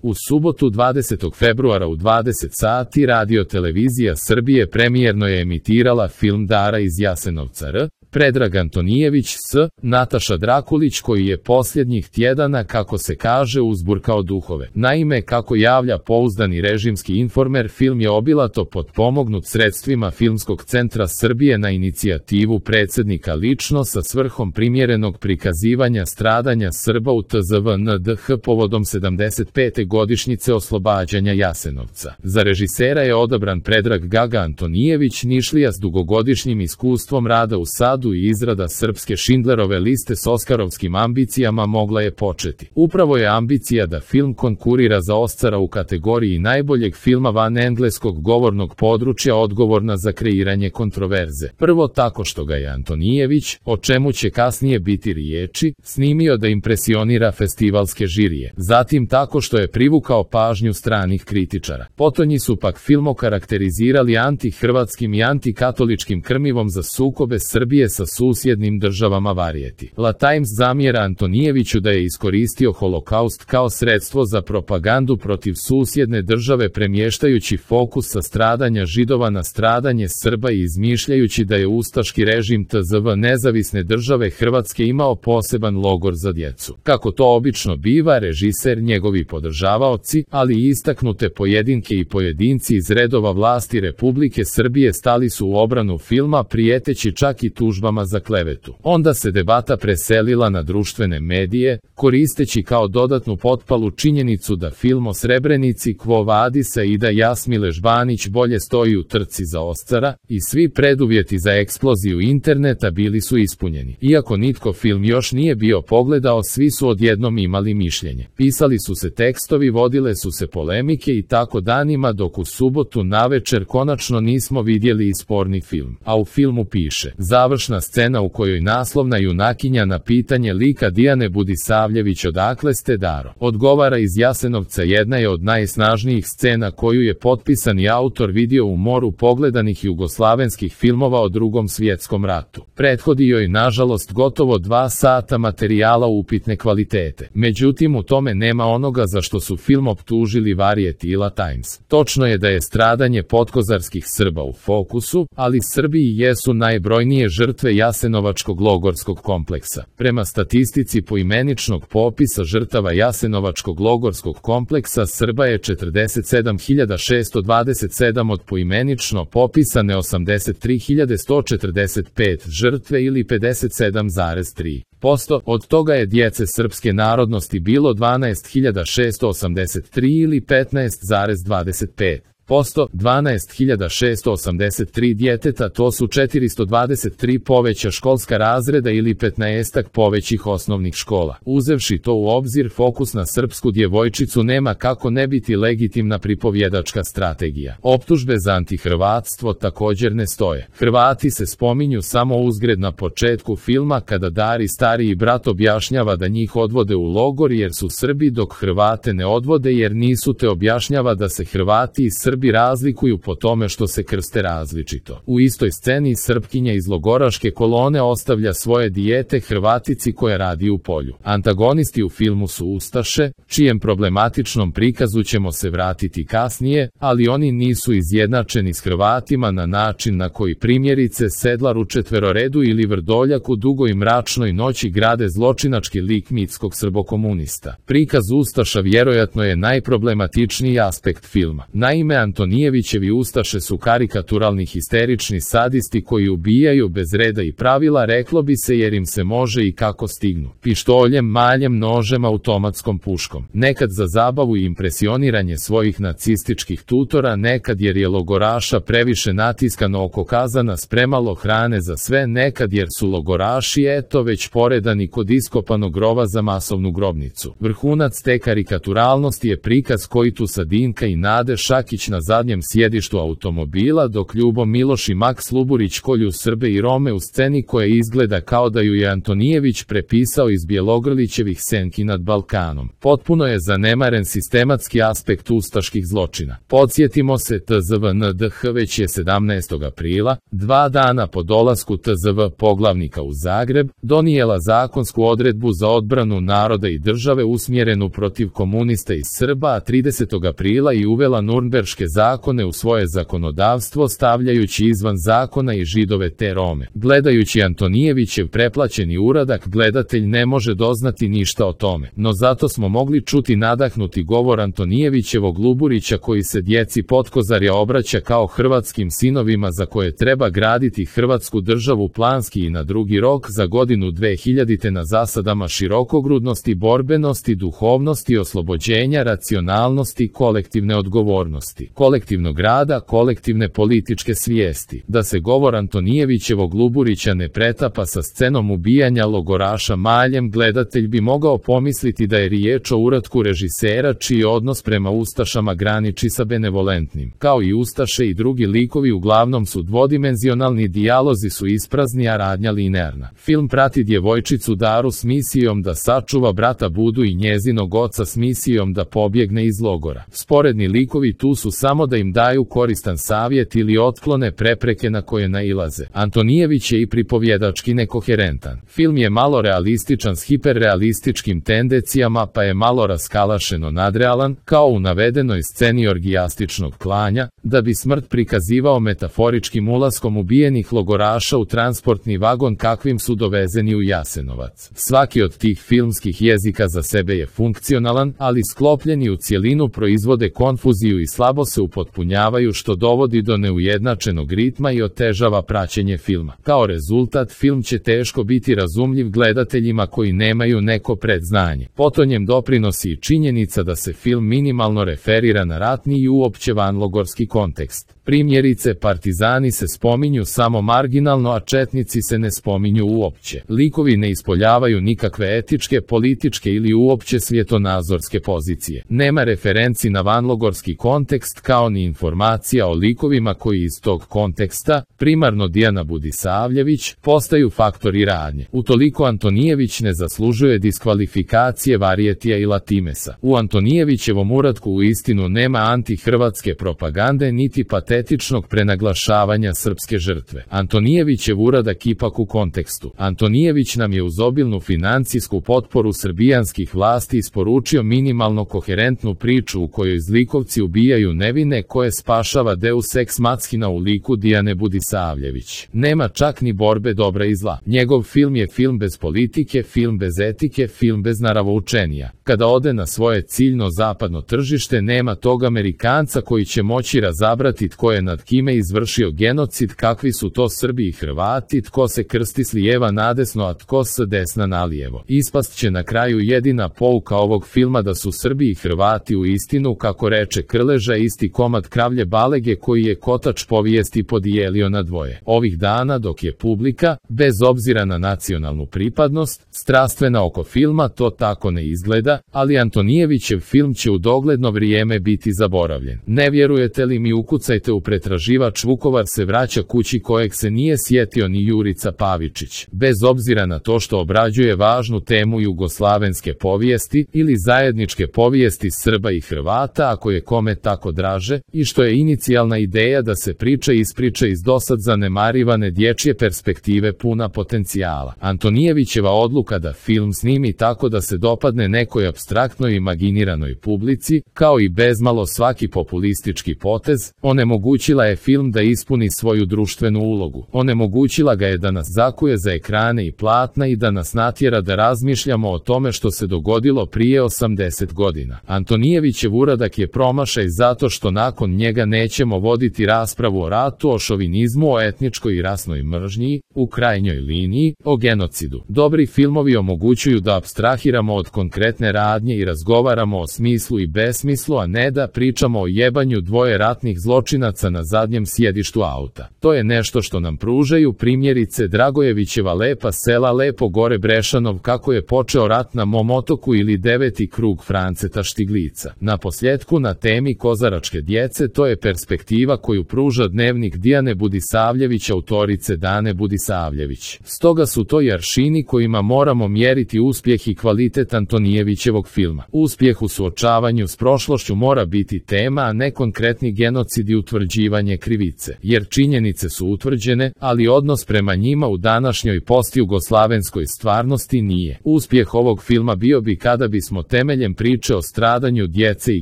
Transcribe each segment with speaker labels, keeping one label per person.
Speaker 1: U subotu 20. februara u 20 sati Radio Televizija Srbije premijerno je emitirala film Dara iz Jasenovca R. Predrag Antonijević s. Nataša Drakulić koji je posljednjih tjedana, kako se kaže, uzburkao duhove. Naime, kako javlja pouzdani režimski informer, film je obilato potpomognut sredstvima Filmskog centra Srbije na inicijativu predsjednika lično sa svrhom primjerenog prikazivanja stradanja Srba u TZV NDH povodom 75. godišnjice oslobađanja Jasenovca. Za režisera je odabran Predrag Gaga Antonijević, Nišlija s dugogodišnjim iskustvom rada u Sadu i izrada srpske Schindlerove liste s oskarovskim ambicijama mogla je početi. Upravo je ambicija da film konkurira za Oscara u kategoriji najboljeg filma van engleskog govornog područja odgovorna za kreiranje kontroverze. Prvo tako što ga je Antonijević, o čemu će kasnije biti riječi, snimio da impresionira festivalske žirije. Zatim tako što je privukao pažnju stranih kritičara. Potonji su pak film okarakterizirali antihrvatskim i antikatoličkim krmivom za sukobe Srbije sa susjednim državama Variety. La Times zamjera Antonijeviću da je iskoristio holokaust kao sredstvo za propagandu protiv susjedne države, premještajući fokus sa stradanja Židova na stradanje Srba i izmišljajući da je ustaški režim TZV Nezavisne države Hrvatske imao poseban logor za djecu. Kako to obično biva, režiser, njegovi podržavaoci, ali i istaknute pojedinke i pojedinci iz redova vlasti Republike Srbije stali su u obranu filma, prijeteći čak i tužbama za klevetu. Onda se debata preselila na društvene medije, koristeći kao dodatnu potpalu činjenicu da film o Srebrenici Quo Vadisa i da Jasmile Žbanić bolje stoji u trci za Oscara, i svi preduvjeti za eksploziju interneta bili su ispunjeni. Iako nitko film još nije bio pogledao, svi su odjednom imali mišljenje. Pisali su se tekstovi, vodile su se polemike i tako danima, dok u subotu navečer konačno nismo vidjeli i sporni film. A u filmu piše: završna scena u kojoj naslovna junakinja na pitanje lika Dijane Budisavljević "Odakle ste, Daro?" odgovara "Iz Jasenovca", jedna je od najsnažnijih scena koju je potpisani autor vidio u moru pogledanih jugoslavenskih filmova o Drugom svjetskom ratu. Prethodi joj nažalost gotovo 2 sata materijala upitne kvalitete. Međutim, u tome nema onoga za što su film optužili Variety i La Times. Točno je da je stradanje podkozarskih Srba u fokusu, ali Srbi i jesu najbrojnije žrtve Jasenovačkog logorskog kompleksa. Prema statistici poimeničnog popisa žrtava Jasenovačkog logorskog kompleksa Srba je 47.627 od poimenično popisane 83.145 žrtve ili 57,3%. Od toga je djece srpske narodnosti bilo 12.683 ili 15,25%. 12.683 djeteta, to su 423 poveća školska razreda ili 15 povećih osnovnih škola. Uzevši to u obzir, fokus na srpsku djevojčicu nema kako ne biti legitimna pripovjedačka strategija. Optužbe za antihrvatstvo također ne stoje. Hrvati se spominju samo uzgred na početku filma, kada Dari stariji brat objašnjava da njih odvode u logor jer su Srbi, dok Hrvate ne odvode jer nisu, te objašnjava da se Hrvati i Srbi razlikuju po tome što se krste različito. U istoj sceni Srpkinja iz logoraške kolone ostavlja svoje dijete Hrvatici koja radi u polju. Antagonisti u filmu su ustaše, čijem problematičnom prikazu ćemo se vratiti kasnije, ali oni nisu izjednačeni s Hrvatima na način na koji primjerice Sedlar u Četveroredu ili Vrdoljak u Dugoj mračnoj noći grade zločinački lik mitskog srbokomunista. Prikaz ustaša vjerojatno je najproblematičniji aspekt filma. Naime, Antonijevićevi ustaše su karikaturalni histerični sadisti koji ubijaju bez reda i pravila, reklo bi se, jer im se može i kako stignu. Pištoljem, maljem, nožem, automatskom puškom. Nekad za zabavu i impresioniranje svojih nacističkih tutora, nekad jer je logoraša previše natiskano oko kazana s premalo hrane za sve, nekad jer su logoraši već poredani kod iskopanog grova za masovnu grobnicu. Vrhunac te karikaturalnosti je prikaz Koitusa Dinka i Nade Šakić na zadnjem sjedištu automobila, dok Ljubo Miloš i Maks Luburić kolju Srbe i Rome u sceni koja izgleda kao da ju je Antonijević prepisao iz Bjelogrlićevih senki nad Balkanom. Potpuno je zanemaren sistematski aspekt ustaških zločina. Podsjetimo se, TZV-NDH već je 17. aprila, 2 dana po dolasku TZV poglavnika u Zagreb, donijela zakonsku odredbu za odbranu naroda i države usmjerenu protiv komunista iz Srba, a 30. aprila i uvela Nurnberške zakone u svoje zakonodavstvo, stavljajući izvan zakona i Židove te Rome. Gledajući Antonijevićev preplaćeni uradak, gledatelj ne može doznati ništa o tome, no zato smo mogli čuti nadahnuti govor Antonijevićevog Luburića koji se djeci Potkozarja obraća kao hrvatskim sinovima za koje treba graditi hrvatsku državu planski i na dugi rok, za godinu 2000 na zasadama širokogrudnosti, borbenosti, duhovnosti, oslobođenja, racionalnosti, kolektivne odgovornosti, kolektivnog rada, kolektivne političke svijesti. Da se govor Antonijevićevog Luburića ne pretapa sa scenom ubijanja logoraša maljem, gledatelj bi mogao pomisliti da je riječ o uratku režisera čiji odnos prema ustašama graniči sa benevolentnim. Kao i ustaše i drugi likovi uglavnom su dvodimenzionalni, dijalozi su isprazni, a radnja linearna. Film prati djevojčicu Daru s misijom da sačuva brata Budu i njezinog oca s misijom da pobjegne iz logora. Sporedni likovi tu su samo da im daju koristan savjet ili otklone prepreke na koje nailaze. Antonijević je i pripovjedački nekoherentan. Film je malo realističan s hiperrealističkim tendencijama, pa je malo raskalašeno nadrealan, kao u navedenoj sceni orgijastičnog klanja, da bi smrt prikazivao metaforičkim ulaskom ubijenih logoraša u transportni vagon kakvim su dovezeni u Jasenovac. Svaki od tih filmskih jezika za sebe je funkcionalan, ali sklopljeni u cjelinu proizvode konfuziju i slabo se upotpunjavaju, što dovodi do neujednačenog ritma i otežava praćenje filma. Kao rezultat, film će teško biti razumljiv gledateljima koji nemaju neko predznanje. Potonjem doprinosi i činjenica da se film minimalno referira na ratni i uopće vanlogorski kontekst. Primjerice, partizani se spominju samo marginalno, a četnici se ne spominju uopće. Likovi ne ispoljavaju nikakve etičke, političke ili uopće svjetonazorske pozicije. Nema referenci na vanlogorski kontekst, kao ni informacija o likovima koji iz tog konteksta, primarno Dijana Budisavljević, postaju faktori radnje. Utoliko Antonijević ne zaslužuje diskvalifikacije Varijetija i Latimesa. U Antonijevićevom uratku uistinu nema antihrvatske propagande niti patetičnog prenaglašavanja srpske žrtve. Antonijevićev uradak ipak u kontekstu. Antonijević nam je uz obilnu financijsku potporu srbijanskih vlasti isporučio minimalno koherentnu priču u kojoj zlikovci ubijaju nevine, koje spašava Deus ex machina u liku Dijane Budisavljević. Nema čak ni borbe dobra i zla. Njegov film je film bez politike, film bez etike, film bez naravoučenja. Kada ode na svoje ciljno zapadno tržište, nema tog Amerikanca koji će moći razabrati tko je nad kime izvršio genocid, kakvi su to Srbi i Hrvati, tko se krsti s lijeva nadesno, a tko s desna nalijevo. Ispast će na kraju jedina pouka ovog filma da su Srbi i Hrvati u istinu, kako reče Krleža, isti komad kravlje balege koji je kotač povijesti podijelio na dvoje. Ovih dana, dok je publika, bez obzira na nacionalnu pripadnost, strastvena oko filma, to tako ne izgleda, ali Antonijevićev film će u dogledno vrijeme biti zaboravljen. Ne vjerujete li mi, ukucajte u pretraživač Vukovar se vraća kući, kojeg se nije sjetio ni Jurica Pavičić. Bez obzira na to što obrađuje važnu temu jugoslavenske povijesti ili zajedničke povijesti Srba i Hrvata, ako je kome tako draže, i što je inicijalna ideja da se priča ispriča iz dosad zanemarivane dječje perspektive puna potencijala. Antonijevićeva odluka da film snimi tako da se dopadne nekoj apstraktnoj imaginiranoj publici, kao i bezmalo svaki populistički potez, onemogućila je film da ispuni svoju društvenu ulogu. Onemogućila ga je da nas zakuje za ekrane i platna i da nas natjera da razmišljamo o tome što se dogodilo prije 80 godina. Antonijevićev uradak je promašaj zato što nakon njega nećemo voditi raspravu o ratu, o šovinizmu, o etničkoj i rasnoj mržnji, u krajnjoj liniji, o genocidu. Dobri filmovi omogućuju da apstrahiramo od konkretne radnje i razgovaramo o smislu i besmislu, a ne da pričamo o jebanju dvoje ratnih zločinaca na zadnjem sjedištu auta. To je nešto što nam pružaju primjerice Dragojevićeva Lepa sela, Lepo gore Brešanov, Kako je počeo rat na mom otoku ili Deveti krug Franceta Štiglica. Na posljetku, na temi kozaračke djece, to je perspektiva koju pruža dnevnik Dijane Budisavljević, autorice Dane Budisavljević. Stoga su to i aršini kojima moramo mjeriti uspjeh i kvalitet Antonijevićevog filma. Uspjeh u suočavanju s prošlošću mora biti tema, a ne konkretni genocid i utvrđivanje krivice, jer činjenice su utvrđene, ali odnos prema njima u današnjoj postjugoslavenskoj stvarnosti nije. Uspjeh ovog filma bio bi kada bismo temeljem priče o stradanju djece i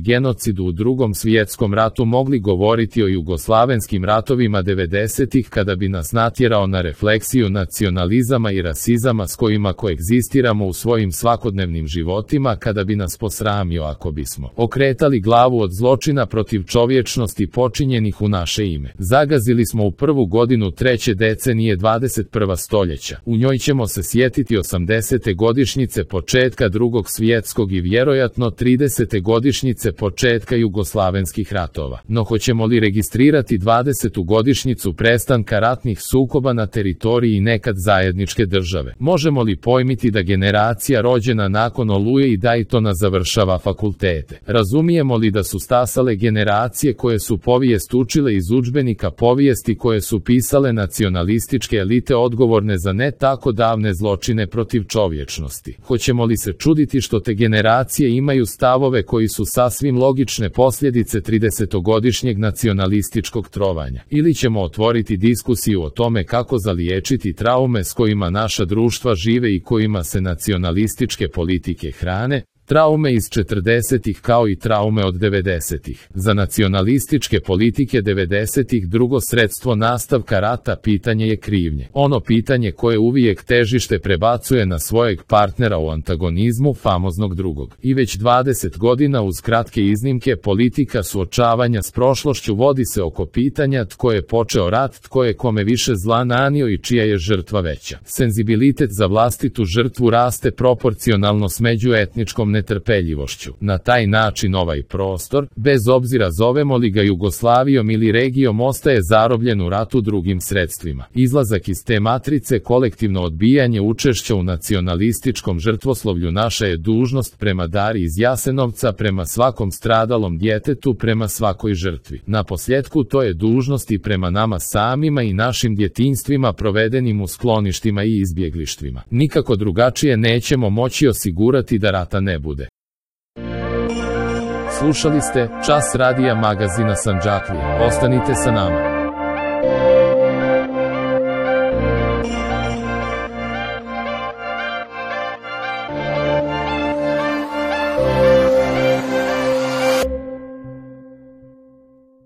Speaker 1: genocidu u Drugom svjetskom ratu mogli govoriti o jugoslavenskim ratovima 90-ih, kada bi nas natjerao na refleksiju nacionalizama i rasizama s kojima koegzistiramo u svojim svakodnevnim životima, kada bi nas posramio ako bismo okretali glavu od zločina protiv čovječnosti počinjenih u naše ime. Zagazili smo u prvu godinu treće decenije 21. stoljeća. U njoj ćemo se sjetiti 80. godišnjice početka Drugog svjetskog i vjerojatno 30. godišnjice početka jugoslavenskih ratova. No hoćemo li registrirati 20. godišnjicu prestanka ratnih sukoba na teritoriji nekad zajedničke države? Možemo li pojmiti da generacija rođena nakon Oluje i Daytona završava fakultete? Razumijemo li da su stasale generacije koje su povijest učile iz udžbenika povijesti, koje su pisale nacionalističke elite odgovorne za ne tako davne zločine protiv čovječnosti? Hoćemo li se čuditi što te generacije imaju stavove koji su sasvim logične posljedice 30-godišnjeg nacionalističkog trovanja? Ili ćemo otvoriti diskusiju o tome kako zaliječiti traume s kojima naša društva žive i kojima se nacionalističke politike hrane? Traume iz 40-ih kao i traume od 90-ih. Za nacionalističke politike 90-ih drugo sredstvo nastavka rata pitanje je krivnje. Ono pitanje koje uvijek težište prebacuje na svojeg partnera u antagonizmu, famoznog drugog. I već 20 godina uz kratke iznimke politika suočavanja s prošlošću vodi se oko pitanja tko je počeo rat, tko je kome više zla nanio i čija je žrtva veća. Senzibilitet za vlastitu žrtvu raste proporcionalno s međuetničkom netrpeljivošću. Na taj način ovaj prostor, bez obzira zovemo li ga Jugoslavijom ili regijom, ostaje zarobljen u ratu drugim sredstvima. Izlazak iz te matrice, kolektivno odbijanje učešća u nacionalističkom žrtvoslovlju naša je dužnost prema Dari iz Jasenovca, prema svakom stradalom djetetu, prema svakoj žrtvi. Na posljetku to je dužnost i prema nama samima i našim djetinjstvima provedenim u skloništima i izbjeglištvima. Nikako drugačije nećemo moći osigurati da rata ne bude. Slušali ste Čas radija magazina Sandžaklije. Ostanite sa nama.